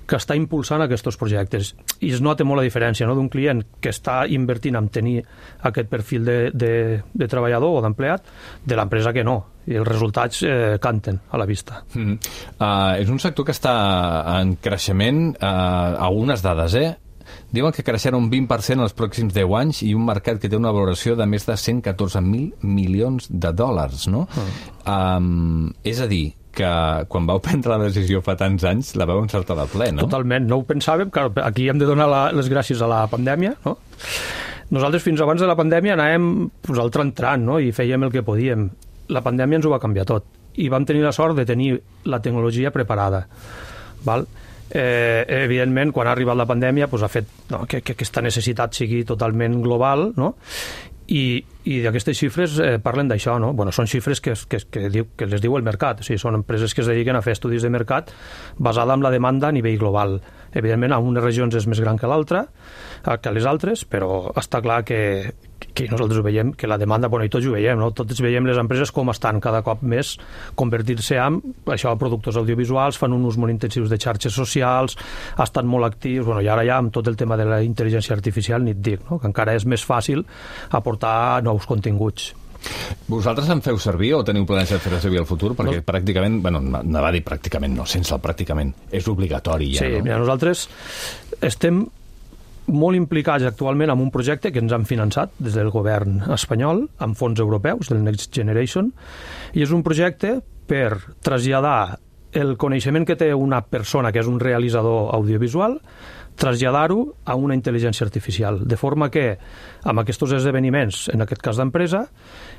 que està impulsant aquests projectes. I es nota molt la diferència, no? D'un client que està invertint en tenir aquest perfil de treballador o d'empleat de l'empresa que no. I els resultats canten a la vista. És un sector que està en creixement, algunes dades, diuen que creixerà un 20% en els pròxims 10 anys i un mercat que té una valoració de més de 114.000 milions de dòlars, no? És a dir, que quan vau prendre la decisió fa tants anys la vau encertar de ple, no? Totalment, no ho pensàvem, que aquí hem de donar les gràcies a la pandèmia, no? Nosaltres fins abans de la pandèmia anàvem al tran-tran, no? I fèiem el que podíem. La pandèmia ens ho va canviar tot i vam tenir la sort de tenir la tecnologia preparada, val? Evidentment, quan ha arribat la pandèmia ha fet que aquesta necessitat sigui totalment global, no? I aquestes xifres parlen d'això, no? Són xifres que les diu el mercat, o sigui, són empreses que es dediquen a fer estudis de mercat basada en la demanda a nivell global. Evidentment, en unes regions és més gran que l'altra, que les altres, però està clar que nosaltres ho veiem, que la demanda, i tots ho veiem, no? Tots veiem les empreses com estan cada cop més convertir-se en productors audiovisuals, fan un ús molt intensius de xarxes socials, estan molt actius, i ara ja amb tot el tema de la intel·ligència artificial ni et dic, no? Que encara és més fàcil aportar nous continguts. Vosaltres en feu servir o teniu plans de fer servir al futur? Perquè pràcticament, anava a dir pràcticament, no, sense el pràcticament, és obligatori ja, no? Sí, mira, nosaltres estem molt implicats actualment en un projecte que ens han finançat des del govern espanyol amb fons europeus, del Next Generation, i és un projecte per traslladar el coneixement que té una persona que és un realitzador audiovisual, traslladar-ho a una intel·ligència artificial, de forma que amb aquests esdeveniments, en aquest cas d'empresa,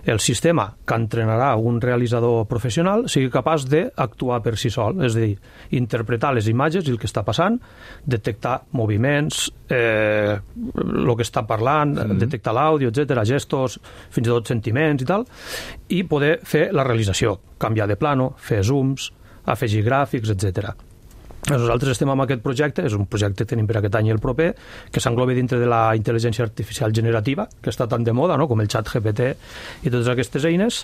el sistema que entrenarà un realitzador professional sigui capaç d'actuar per si sol, és a dir, interpretar les imatges i el que està passant, detectar moviments, el que està parlant, detectar l'àudio, etc., gestos, fins i tot sentiments i tal, i poder fer la realització, canviar de plano, fer zooms, afegir gràfics, etc. Nosaltres estem amb aquest projecte, és un projecte que tenim per aquest any i el proper, que s'engloba dintre de la intel·ligència artificial generativa, que està tan de moda, no?, com el xat GPT i totes aquestes eines,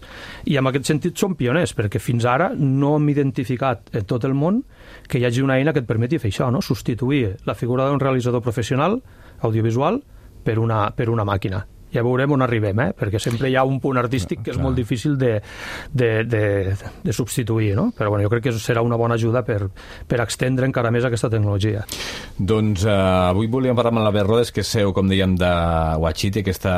i en aquest sentit som pioners, perquè fins ara no hem identificat en tot el món que hi hagi una eina que et permeti fer això, no?, substituir la figura d'un realitzador professional audiovisual per una màquina. Ja veurem on arribem, perquè sempre hi ha un punt artístic que és molt difícil de substituir, no? Però jo crec que serà una bona ajuda per extendre encara més aquesta tecnologia. Doncs avui volíem parlar amb l'Albert Rodes, que és CEO, com dèiem, de Watchity, aquesta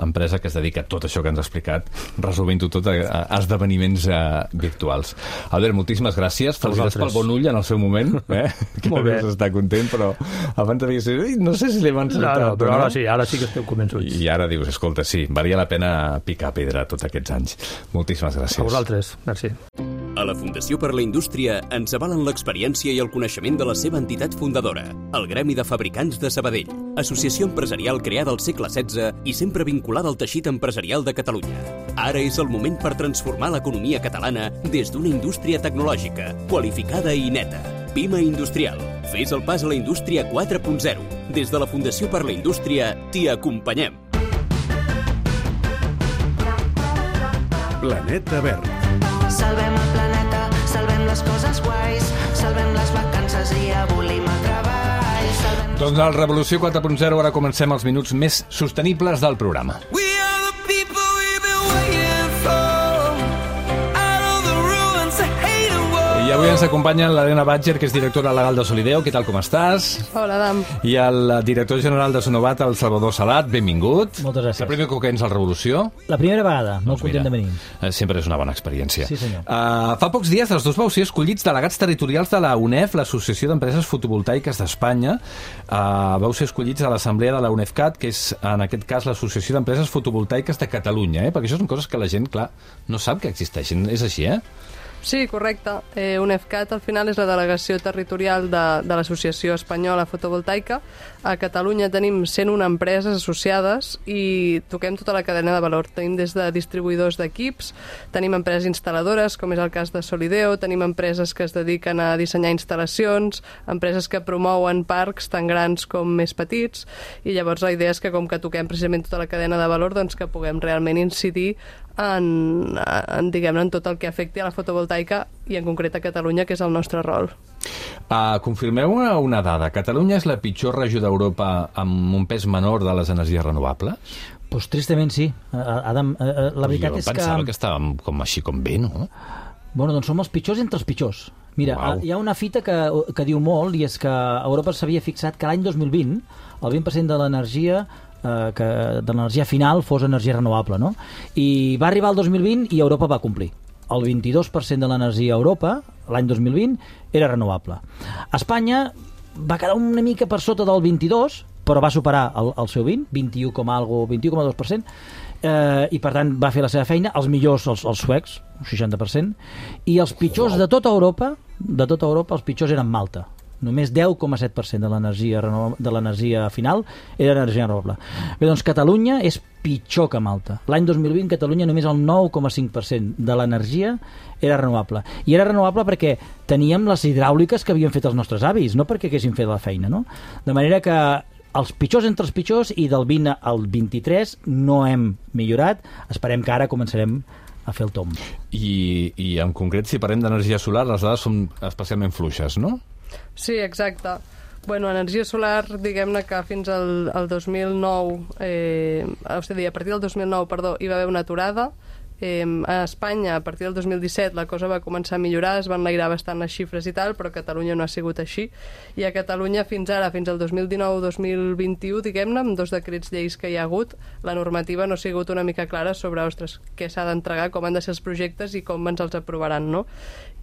empresa que es dedica a tot això que ens ha explicat, resolvent-ho tot a esdeveniments virtuals. Albert, moltíssimes gràcies. Felicitats pel bon ull en el seu moment, que deus estar content, però abans devies dir, no sé si l'hem encertat. No, però ara sí que esteu convençuts. I ara dius, escolta, sí, valia la pena picar pedra tots aquests anys. Moltíssimes gràcies. A vosaltres, merci. A la Fundació per la Indústria ens avalen l'experiència i el coneixement de la seva entitat fundadora, el Gremi de Fabricants de Sabadell, associació empresarial creada al segle XVI i sempre vinculada al teixit empresarial de Catalunya. Ara és el moment per transformar l'economia catalana des d'una indústria tecnològica, qualificada i neta. Pima Industrial. Fes el pas a la indústria 4.0. Des de la Fundació per la Indústria t'hi acompanyem. Planeta Verd. Salvem el planeta, salvem les coses guais, salvem les vacances i abolim el treball, salvem Doncs al Revolució 4.0 ara comencem els minuts més sostenibles del programa. I avui ens acompanya l'Helena Badger, que és directora legal de Solideo. Què tal, com estàs? Hola, Adam. I el director general de Sonovat, el Salvador Salat. Benvingut. Moltes gràcies. La primera que vens al Revolució? La primera vegada, molt content de venir. Sempre és una bona experiència. Sí, senyor. Fa pocs dies els dos vau ser escollits delegats territorials de la UNEF, l'Associació d'Empreses Fotovoltaiques d'Espanya. Vau ser escollits a l'Assemblea de la UNEFCAT, que és, en aquest cas, l'Associació d'Empreses Fotovoltaiques de Catalunya, perquè això són coses que la gent, clar, no sap que existeixen. És així, eh? Sí, correcte. UNEFCAT al final és la delegació territorial de l'Associació Espanyola Fotovoltaica. A Catalunya tenim 101 empreses associades i toquem tota la cadena de valor. Tenim des de distribuïdors d'equips, tenim empreses instal·ladores, com és el cas de Solideo, tenim empreses que es dediquen a dissenyar instal·lacions, empreses que promouen parcs tan grans com més petits, i llavors la idea és que com que toquem precisament tota la cadena de valor, doncs que puguem realment incidir en tot el que afecti a la fotovoltaica i en concret a Catalunya, que és el nostre rol. Confirmeu una dada. Catalunya és la pitjor regió d'Europa amb un pes menor de les energies renovables? Pues tristament sí. Adam, la veritat és que... Jo pensava que estàvem així com bé, no? Bueno, doncs som els pitjors entre els pitjors. Mira, hi ha una fita que diu molt, i és que Europa s'havia fixat que l'any 2020 el 20% de l'energia de l'energia final fos energia renovable, no? I va arribar el 2020 i Europa va complir. El 22% de l'energia a Europa, l'any 2020, era renovable. Espanya va quedar una mica per sota del 22%, però va superar el seu 21,2%, i per tant va fer la seva feina. Els millors, els suecs, un 60%, i els pitjors de tota Europa, els pitjors eren Malta. Només 10,7% de l'energia final era energia renovable. Bé, doncs Catalunya és pitjor que Malta. L'any 2020 Catalunya només el 9,5% de l'energia era renovable. I era renovable perquè teníem les hidràuliques que havien fet els nostres avis, no perquè haguessin fet la feina, no? De manera que els pitjors entre els pitjors, i del 20 al 23 no hem millorat. Esperem que ara començarem a fer el tomb. I en concret, si parlem d'energia solar, les dades són especialment fluixes, no? Sí, exacte. Bueno, energia solar, diguem-ne que fins al 2009, a partir del 2009, hi va haver una aturada. A Espanya, a partir del 2017, la cosa va començar a millorar, es van enlairar bastant les xifres i tal, però a Catalunya no ha sigut així. I a Catalunya, fins ara, fins al 2019-2021, diguem-ne, amb 2 decrets lleis que hi ha hagut, la normativa no ha sigut una mica clara sobre, ostres, què s'ha d'entregar, com han de ser els projectes i com ens els aprovaran, no?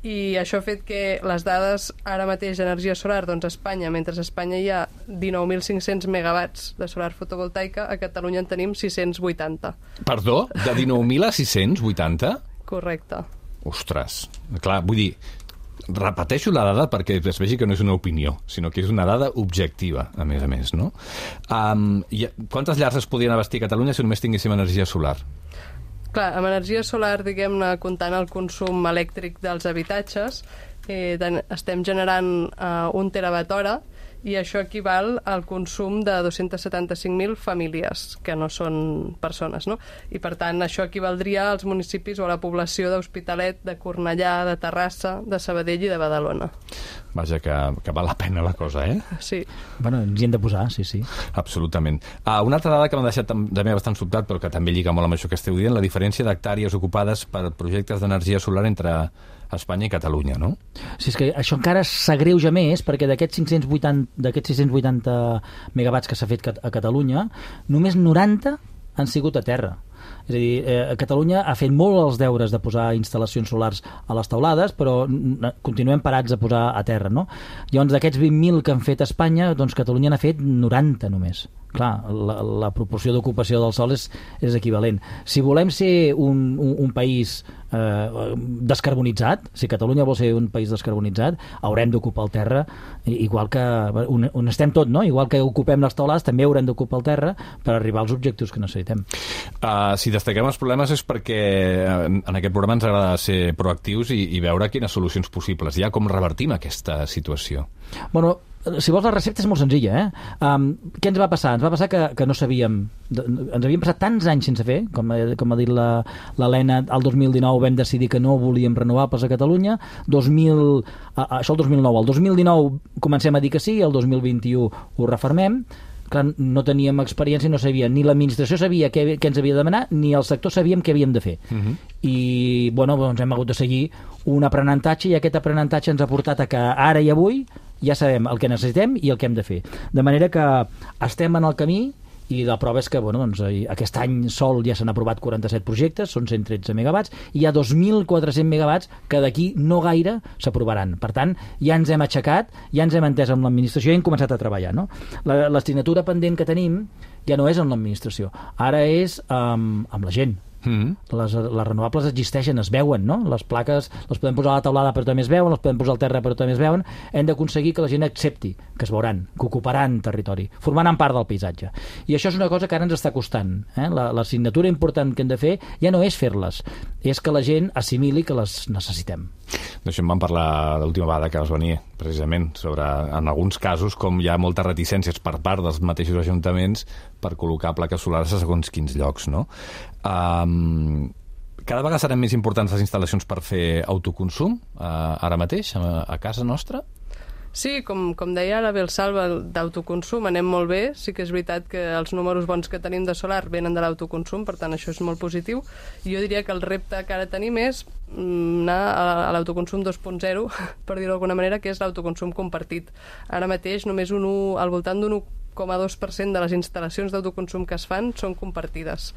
I això ha fet que les dades ara mateix d'energia solar, doncs a Espanya, mentre a Espanya hi ha 19.500 megawatts de solar fotovoltaica, a Catalunya en tenim 680. Perdó? De 19.000 a 680? Correcte. Ostres, clar, vull dir, repeteixo la dada perquè es vegi que no és una opinió, sinó que és una dada objectiva, a més, no? Quantes llars es podrien abastir a Catalunya si només tinguéssim energia solar? Clar, amb energia solar, diguem-ne, comptant el consum elèctric dels habitatges, estem generant 1 terawatt-hora, i això equival al consum de 275.000 famílies, que no són persones, no? I per tant això equivaldria als municipis o a la població d'Hospitalet, de Cornellà, de Terrassa, de Sabadell i de Badalona. Vaja, que val la pena la cosa, eh? Sí. Bueno, ens hi hem de posar, sí. Absolutament. Una altra dada que m'ha deixat també bastant sobtat, però que també lliga molt amb això que esteu dient, la diferència d'hectàrees ocupades per projectes d'energia solar entre Espanya i Catalunya, no? Sí, és que això encara s'agreuja més, perquè d'aquests 680 megawatts que s'ha fet a Catalunya, només 90 han sigut a terra. És a dir, Catalunya ha fet molt els deures de posar instal·lacions solars a les teulades, però continuem parats a posar a terra, no? Llavors, d'aquests 20.000 que han fet a Espanya, doncs Catalunya n'ha fet 90 només. Clar, la proporció d'ocupació del sol és equivalent. Si volem ser un país descarbonitzat, si Catalunya vol ser un país descarbonitzat, haurem d'ocupar el terra, igual que on estem tot, no? Igual que ocupem les teulades, també haurem d'ocupar el terra per arribar als objectius que necessitem. Si destaquem els problemes és perquè en aquest programa ens agrada ser proactius i veure quines solucions possibles hi ha, com revertim aquesta situació. Bueno, si vols, la recepta és molt senzilla, Què ens va passar? Ens va passar que no sabíem... Ens havíem passat tants anys sense fer, com ha dit l'Helena, el 2019 vam decidir que no volíem renovables a Catalunya, això el 2009. El 2019 comencem a dir que sí, el 2021 ho refermem. Clar, no teníem experiència, no sabia, ni l'administració sabia què ens havia de demanar, ni el sector sabíem què havíem de fer. I, bueno, doncs hem hagut de seguir un aprenentatge, i aquest aprenentatge ens ha portat a que ara i avui ja sabem el que necessitem i el que hem de fer. De manera que estem en el camí, i la prova és que aquest any sol ja s'han aprovat 47 projectes, són 113 megawatts, i hi ha 2.400 megawatts que d'aquí no gaire s'aprovaran. Per tant, ja ens hem aixecat, ja ens hem entès amb l'administració i hem començat a treballar. No? L'assignatura pendent que tenim ja no és amb l'administració, ara és amb la gent. Les renovables existeixen, es veuen, no? Les plaques les podem posar a la taulada però també es veuen, les podem posar al terra però també es veuen. Hem d'aconseguir que la gent accepti que es veuran, que ocuparan territori, formaran part del paisatge. I això és una cosa que ara ens està costant. L'assignatura important que hem de fer ja no és fer-les, és que la gent assimili que les necessitem. D'això em van parlar l'última vegada que vas venir, precisament, sobre, en alguns casos, com hi ha moltes reticències per part dels mateixos ajuntaments per col·locar plaques solars a segons quins llocs, no? Cada vegada seran més importants les instal·lacions per fer autoconsum, ara mateix, a casa nostra? Sí, com deia ara bé el Salva, d'autoconsum anem molt bé. Sí que és veritat que els números bons que tenim de solar venen de l'autoconsum, per tant això és molt positiu. Jo diria que el repte que ara tenim és anar a l'autoconsum 2.0, per dir-ho d'alguna manera, que és l'autoconsum compartit. Ara mateix només al voltant d'un 1,2% de les instal·lacions d'autoconsum que es fan són compartides.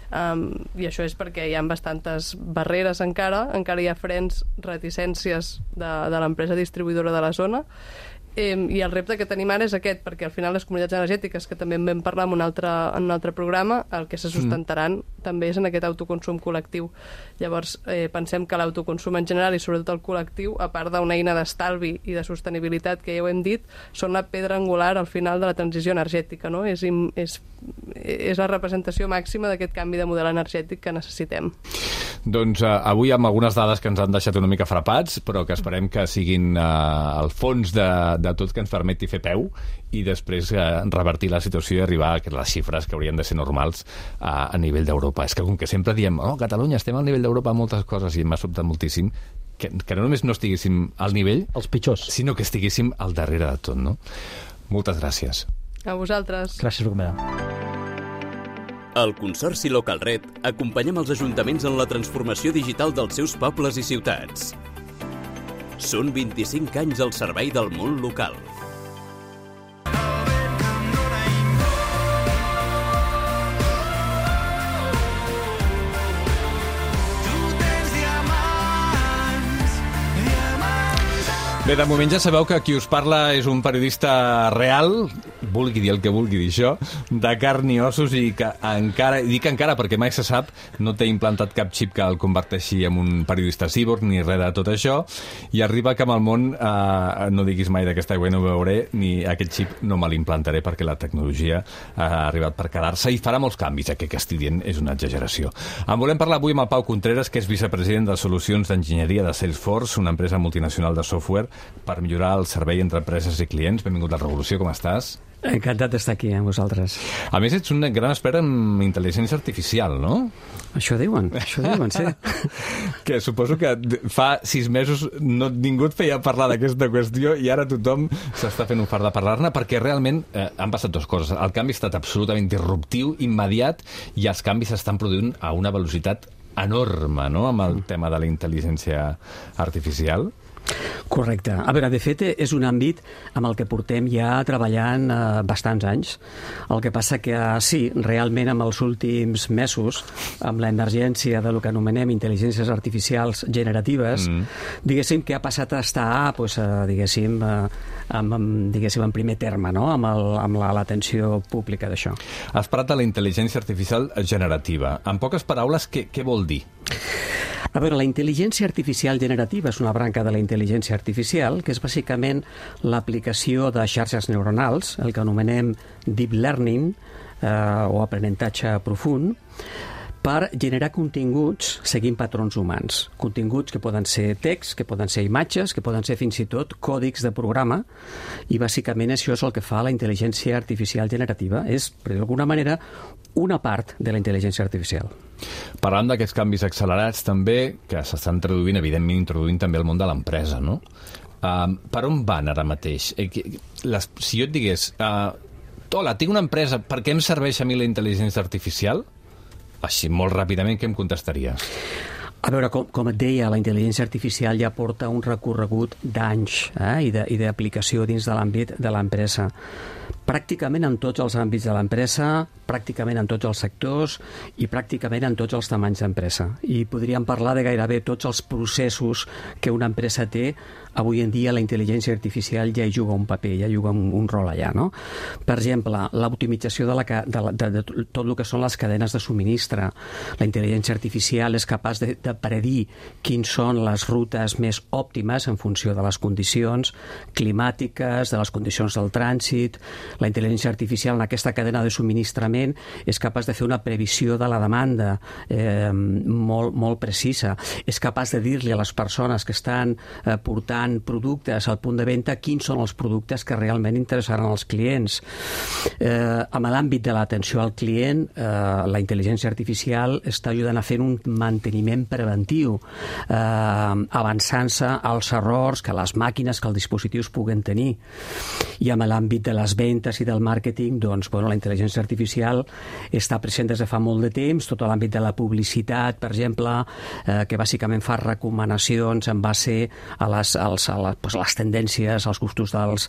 I això és perquè hi ha bastantes barreres encara hi ha frens, reticències de l'empresa distribuïdora de la zona, i el repte que tenim ara és aquest, perquè al final les comunitats energètiques, que també en vam parlar en un altre programa, el que se sustentaran també és en aquest autoconsum col·lectiu. Llavors pensem que l'autoconsum en general i sobretot el col·lectiu, a part d'una eina d'estalvi i de sostenibilitat que ja ho hem dit, són la pedra angular al final de la transició energètica, no? És la representació màxima d'aquest canvi de model energètic que necessitem. Doncs avui amb algunes dades que ens han deixat una mica frapats, però que esperem que siguin el fons de tot que ens permeti fer peu i després revertir la situació i arribar a les xifres que haurien de ser normals a nivell d'Europa. És que com que sempre diem, Catalunya, estem al nivell d'Europa en moltes coses, i m'ha sobtat moltíssim que no només no estiguéssim al nivell, els pitjors, sinó que estiguéssim al darrere de tot, no? Moltes gràcies. A vosaltres. Gràcies per acompanyar. Al Consorci Localred acompanyem els ajuntaments en la transformació digital dels seus pobles i ciutats. Són 25 anys al servei del món local. Bé, de moment ja sabeu que qui us parla és un periodista real, vulgui dir el que vulgui dir això, de carn i ossos, i que encara, i dic encara perquè mai se sap, no té implantat cap xip que el converteixi en un periodista cíborg ni res de tot això, i arriba que amb el món no diguis mai d'aquesta aigua no ho veuré, ni aquest xip no me l'implantaré perquè la tecnologia ha arribat per quedar-se i farà molts canvis, que estic dient és una exageració. En volem parlar avui amb el Pau Contreras, que és vicepresident de Solucions d'Enginyeria de Salesforce, una empresa multinacional de software per millorar el servei entre empreses i clients. Benvingut a Revolució, com estàs? Encantat d'estar aquí amb vosaltres. A més, ets un gran expert en intel·ligència artificial, no? Això diuen, sí. Que suposo que fa 6 mesos ningú et feia parlar d'aquesta qüestió i ara tothom s'està fent un fart de parlar-ne, perquè realment han passat dues coses. El canvi ha estat absolutament disruptiu, immediat, i els canvis s'estan produint a una velocitat enorme, no?, amb el tema de la intel·ligència artificial. Correcte. A veure, de fet, és un àmbit amb el que portem ja treballant bastants anys. El que passa que sí, realment amb els últims mesos, amb l'emergència de lo que anomenem intel·ligències artificials generatives, diguéssim que ha passat a estar, diguéssim, en primer terme, no?, amb l'atenció pública d'això. Has parlat de la intel·ligència artificial generativa. En poques paraules, què vol dir? A veure, la intel·ligència artificial generativa és una branca de la intel·ligència artificial que és bàsicament l'aplicació de xarxes neuronals, el que anomenem deep learning o aprenentatge profund, per generar continguts seguint patrons humans. Continguts que poden ser text, que poden ser imatges, que poden ser fins i tot còdics de programa, i bàsicament això és el que fa la intel·ligència artificial generativa. És, d'alguna manera, una part de la intel·ligència artificial. Parlant d'aquests canvis accelerats també, que s'estan traduint, evidentment introduint també el món de l'empresa, no? Per on van ara mateix? Si jo et digués, hola, tinc una empresa, per què em serveix a mi la intel·ligència artificial? Així, molt ràpidament, què em contestaries? A veure, com et deia, la intel·ligència artificial ja porta un recorregut d'anys i d'aplicació dins de l'àmbit de l'empresa. Pràcticament en tots els àmbits de l'empresa, pràcticament en tots els sectors i pràcticament en tots els tamanys d'empresa. I podríem parlar de gairebé tots els processos que una empresa té. Avui en dia la intel·ligència artificial ja hi juga un paper, ja juga un rol allà, no? Per exemple, l'optimització de tot el que són les cadenes de subministre. La intel·ligència artificial és capaç de predir quins són les rutes més òptimes en funció de les condicions climàtiques, de les condicions del trànsit. La intel·ligència artificial en aquesta cadena de subministrament és capaç de fer una previsió de la demanda molt precisa. És capaç de dir-li a les persones que estan portant productes al punt de venda quins són els productes que realment interessaran als clients. En l'àmbit de l'atenció al client, la intel·ligència artificial està ajudant a fer un manteniment preventiu, avançant-se als errors que les màquines, que els dispositius puguen tenir. I en l'àmbit de les vendes i del màrqueting, doncs, la intel·ligència artificial està present des de fa molt de temps, tot l'àmbit de la publicitat, per exemple, que bàsicament fa recomanacions en base a les tendències, als gustos dels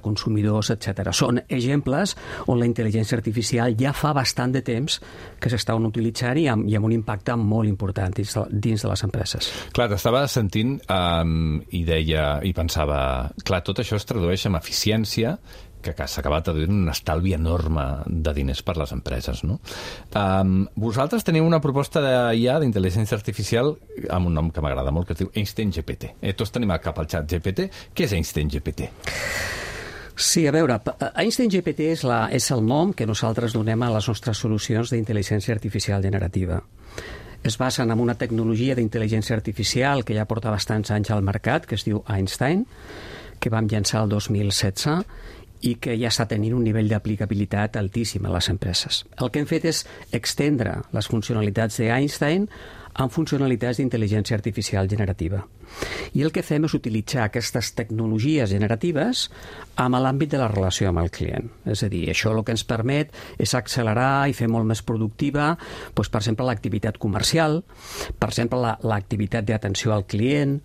consumidors, etc. Són exemples on la intel·ligència artificial ja fa bastant de temps que s'estan utilitzant i amb un impacte molt important dins de les empreses. Clar, t'estava sentint i deia, i pensava, clar, tot això es tradueix en eficiència, que s'ha acabat traduint un estalvi enorme de diners per les empreses, no? Vosaltres teniu una proposta d'IA, d'intel·ligència artificial, amb un nom que m'agrada molt, que es diu Einstein GPT. Tots tenim al cap el xat GPT. Què és Einstein GPT? Sí, a veure, Einstein GPT és el nom que nosaltres donem a les nostres solucions d'intel·ligència artificial generativa. Es basen en una tecnologia d'intel·ligència artificial que ja porta bastants anys al mercat, que es diu Einstein, que vam llançar el 2016, i que ja està tenint un nivell d'aplicabilitat altíssim a les empreses. El que hem fet és extendre les funcionalitats d'Einstein amb funcionalitats d'intel·ligència artificial generativa. I el que fem és utilitzar aquestes tecnologies generatives amb l'àmbit de la relació amb el client. És a dir, això el que ens permet és accelerar i fer molt més productiva, doncs, per exemple, l'activitat comercial, per exemple, l'activitat d'atenció al client,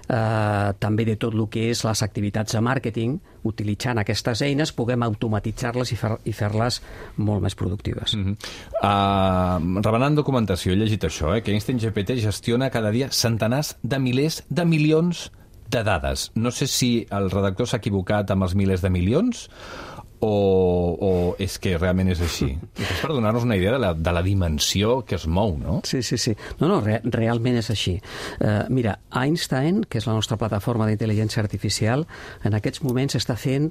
també de tot el que és les activitats de màrqueting. Utilitzant aquestes eines puguem automatitzar-les i fer-les molt més productives. Rebenant documentació, he llegit això, que Einstein GPT gestiona cada dia centenars de milers de milions de dades. No sé si el redactor s'ha equivocat amb els milers de milions o és que realment és així. És per donar-nos una idea de la dimensió que es mou, no? Sí. No, realment és així. Mira, Einstein, que és la nostra plataforma d'intel·ligència artificial, en aquests moments està fent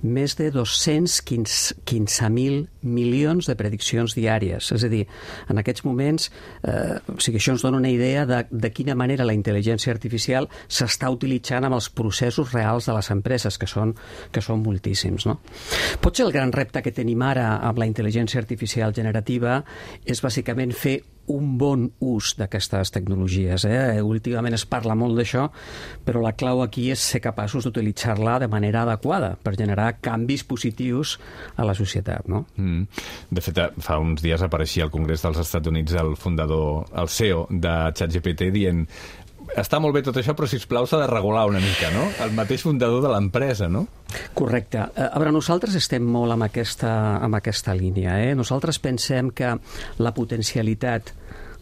més de 215.000 milions de prediccions diàries. És a dir, en aquests moments, això ens dona una idea de quina manera la intel·ligència artificial s'està utilitzant amb els processos reals de les empreses, que són moltíssims, no? Potser el gran repte que tenim ara amb la intel·ligència artificial generativa és bàsicament fer un bon ús d'aquestes tecnologies. Últimament es parla molt d'això, però la clau aquí és ser capaços d'utilitzar-la de manera adequada per generar canvis positius a la societat, no? De fet, fa uns dies apareixia al Congrés dels Estats Units el fundador, el CEO de ChatGPT, dient: està molt bé tot això, però sisplau s'ha de regular una mica, no? El mateix fundador de l'empresa, no? Correcte. A veure, nosaltres estem molt amb aquesta línia. Nosaltres pensem que la potencialitat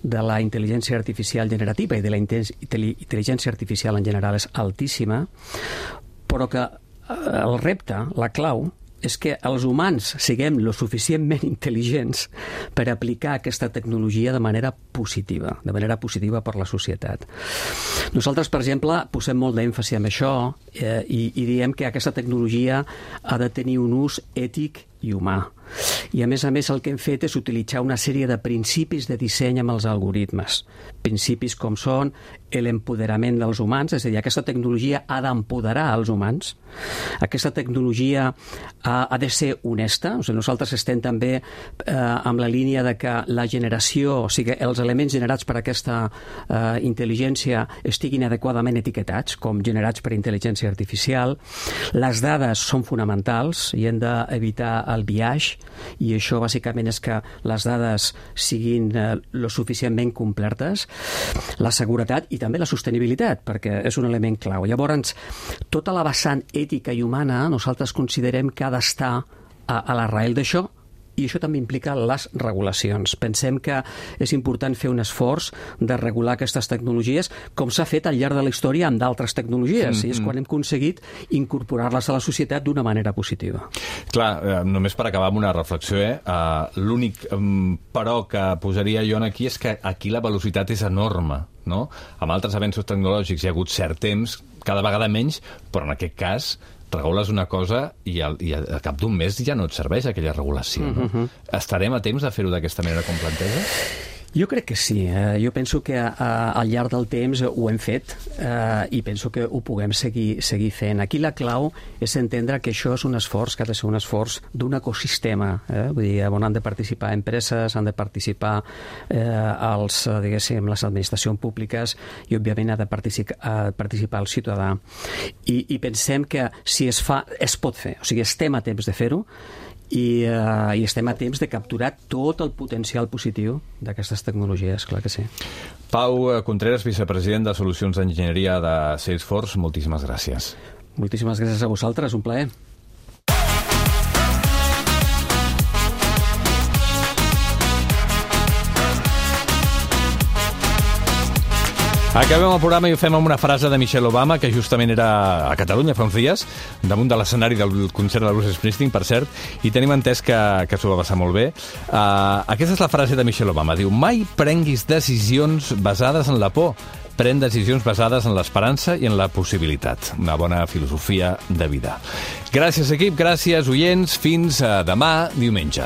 de la intel·ligència artificial generativa i de la intel·ligència artificial en general és altíssima, però que el repte, la clau, és que els humans siguem lo suficientment intel·ligents per aplicar aquesta tecnologia de manera positiva per la societat. Nosaltres, per exemple, posem molt d'èmfasi en això i diem que aquesta tecnologia ha de tenir un ús ètic i humà. I a més el que hem fet és utilitzar una sèrie de principis de disseny amb els algoritmes. Principis com són l'empoderament dels humans, és a dir, aquesta tecnologia ha d'empoderar els humans, aquesta tecnologia ha de ser honesta, o sigui, nosaltres estem també amb la línia de que la generació, o sigui, els elements generats per aquesta intel·ligència estiguin adequadament etiquetats, com generats per intel·ligència artificial. Les dades són fonamentals i hem d'evitar el biaix, i això bàsicament és que les dades siguin lo suficientment complertes, la seguretat i també la sostenibilitat, perquè és un element clau. Llavors, tota la vessant ètica i humana nosaltres considerem que ha d'estar a l'arrel d'això, i això també implica les regulacions. Pensem que és important fer un esforç de regular aquestes tecnologies, com s'ha fet al llarg de la història amb d'altres tecnologies, i és quan hem aconseguit incorporar-les a la societat d'una manera positiva. Clar, només per acabar amb una reflexió, l'únic però que posaria jo aquí és que aquí la velocitat és enorme, no? Amb altres avenços tecnològics hi ha hagut cert temps, cada vegada menys, però en aquest cas regules una cosa i al cap d'un mes ja no et serveix aquella regulació. No? Estarem a temps de fer-ho d'aquesta manera com planteja? Jo crec que sí. Jo penso que al llarg del temps ho hem fet i penso que ho puguem seguir fent. Aquí la clau és entendre que això és un esforç, que ha de ser un esforç d'un ecosistema. Vull dir, on han de participar empreses, han de participar les administracions públiques i, òbviament, ha de participar el ciutadà. I pensem que si es fa, es pot fer. O sigui, estem a temps de fer-ho, i estem a temps de capturar tot el potencial positiu d'aquestes tecnologies, clar que sí. Pau Contreras, vicepresident de Solucions d'Enginyeria de Salesforce, moltíssimes gràcies. Moltíssimes gràcies a vosaltres, un plaer. Acabem el programa i ho fem amb una frase de Michelle Obama, que justament era a Catalunya fa uns dies, damunt de l'escenari del concert de Bruce Springsteen, per cert, i tenim entès que s'ho va passar molt bé. Aquesta és la frase de Michelle Obama. Diu: mai prenguis decisions basades en la por, pren decisions basades en l'esperança i en la possibilitat. Una bona filosofia de vida. Gràcies, equip, gràcies, oients. Fins demà, diumenge.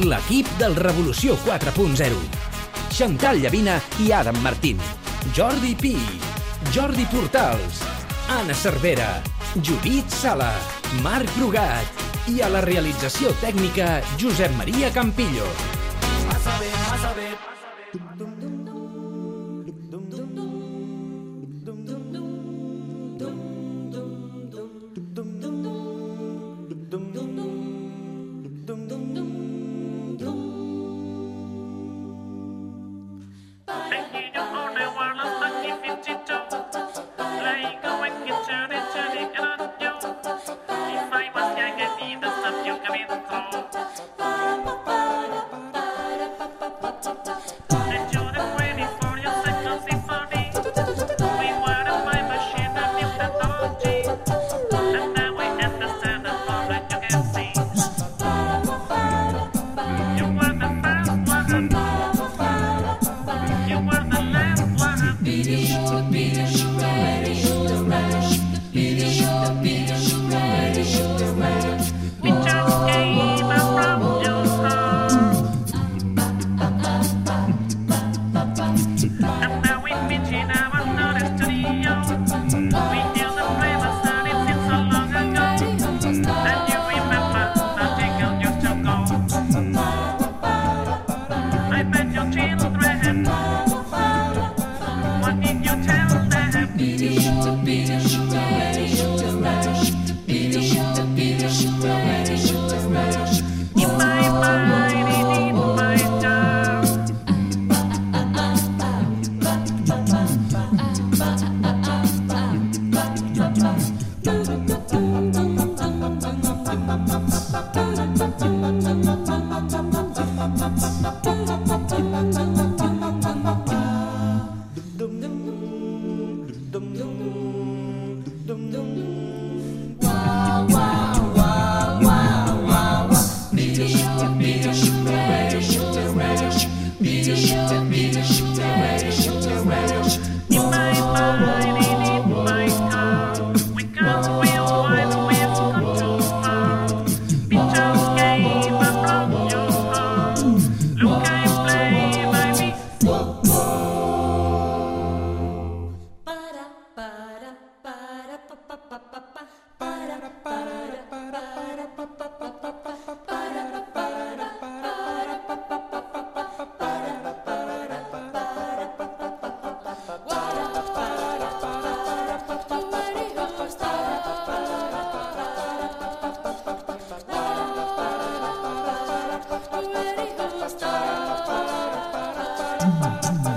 L'equip del Revolució 4.0. Xantal Llavina i Adam Martín. Jordi Pi, Jordi Portals, Anna Cervera, Judit Sala, Marc Brugat i a la realització tècnica Josep Maria Campillo. Massa bé. Be Thank you.